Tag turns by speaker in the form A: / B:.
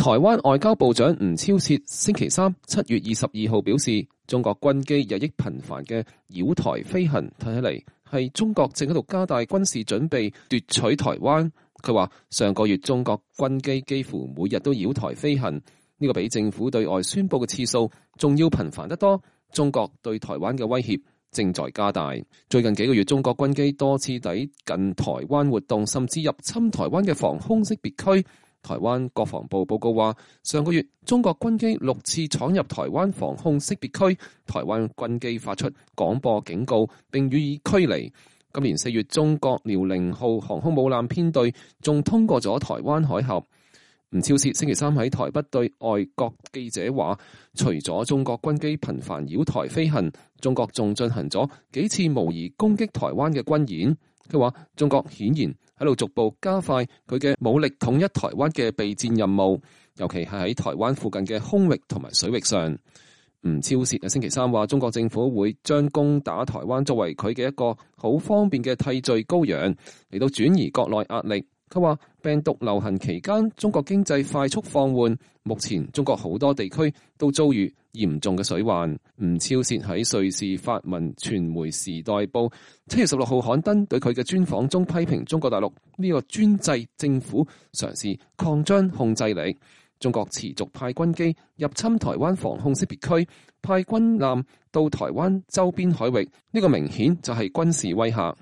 A: 台灣外交部長吳釗燮星期三7月22號表示，中國軍機日益頻繁嘅繞台飛行，睇起嚟係中國正喺度加大軍事準備奪取台灣。佢話上個月中國軍機幾乎每日都繞台飛行，呢個比政府對外宣佈嘅次數仲要頻繁得多。中國對台灣嘅威脅正在加大。最近幾個月，中國軍機多次抵近台灣活動，甚至入侵台灣嘅防空識別區。台灣國防部報告話，上個月中國軍機6次闖入台灣防空識別區，台灣軍機發出廣播警告並予以驅離。今年4月，中國遼寧號航空母艦編隊仲通過咗台灣海峽。吳釗燮星期三喺台北對外國記者話，除咗中國軍機頻繁繞台飛行，中國仲進行咗幾次模擬攻擊台灣嘅軍演。佢話中國顯然喺度逐步加快佢嘅武力統一台灣嘅備戰任務，尤其係喺台灣附近嘅空域同埋水域上。吳釗燮喺星期三話，中國政府會將攻打台灣作為佢嘅一個好方便嘅替罪羔羊，嚟到轉移國內壓力。佢話病毒流行期間，中國經濟快速放緩，目前中國好多地區都遭遇嚴重嘅水患。吳釗燮喺瑞士法文傳媒《時代報》7月16號刊登對佢嘅專訪中，批評中國大陸呢個專制政府嘗試擴張控制力。中國持續派軍機入侵台灣防空識別區，派軍艦到台灣周邊海域，呢個明顯就係軍事威嚇。